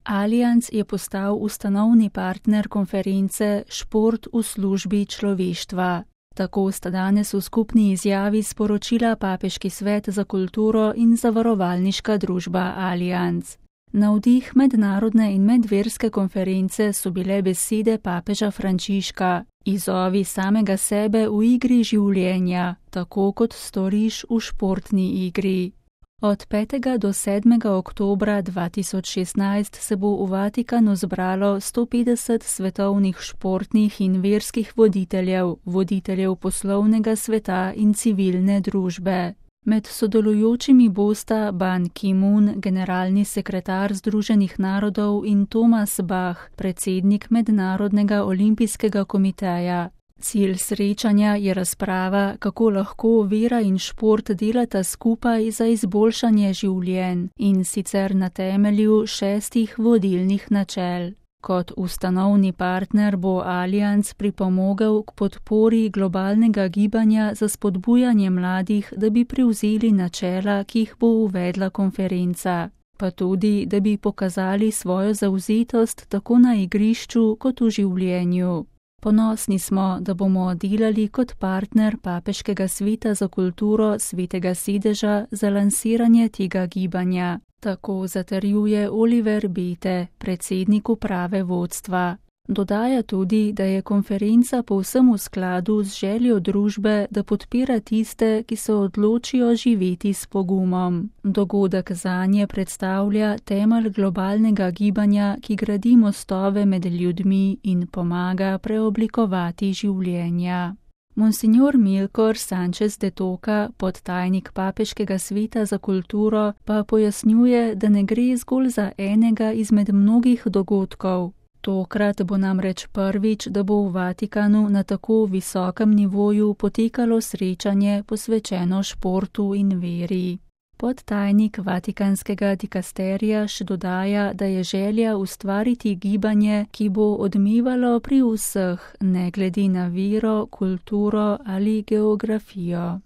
Allianz je postal ustanovni partner konference Šport v službi človeštva. Tako sta danes v skupni izjavi sporočila Papeški svet za kulturo in zavarovalniška družba Allianz. Navdih mednarodne in medverske konference so bile besede papeža Frančiška: "Izzovi samega sebe v igri življenja, tako kot storiš v športni igri." Od 5. do 7. oktobra 2016 se bo v Vatikanu zbralo 150 svetovnih športnih in verskih voditeljev poslovnega sveta in civilne družbe. Med sodelujočimi bosta Ban Ki-moon, generalni sekretar Združenih narodov, in Thomas Bach, predsednik Mednarodnega olimpijskega komiteja. Cilj srečanja je razprava, kako lahko vera in šport delata skupaj za izboljšanje življenj, in sicer na temelju 6 vodilnih načel. Kot ustanovni partner bo Allianz pripomogel k podpori globalnega gibanja za spodbujanje mladih, da bi prevzeli načela, ki jih bo uvedla konferenca, pa tudi, da bi pokazali svojo zavzetost tako na igrišču kot v življenju. Ponosni smo, da bomo delali kot partner Papeškega sveta za kulturo Svetega sedeža za lansiranje tega gibanja. Tako zatrjuje Oliver Bete, predsednik uprave vodstva. Dodaja tudi, da je konferenca povsem v skladu z željo družbe, da podpira tiste, ki se odločijo živeti s pogumom. Dogodek zanje predstavlja temelj globalnega gibanja, ki gradi mostove med ljudmi in pomaga preoblikovati življenja. Monsignor Milkor Sanchez de Toca, podtajnik Papeškega sveta za kulturo, pa pojasnjuje, da ne gre zgolj za enega izmed mnogih dogodkov. Tokrat bo namreč prvič, da bo v Vatikanu na tako visokem nivoju potekalo srečanje posvečeno športu in veri. Podtajnik Vatikanskega dikasterija še dodaja, da je želja ustvariti gibanje, ki bo odmevalo pri vseh, ne glede na vero, kulturo ali geografijo.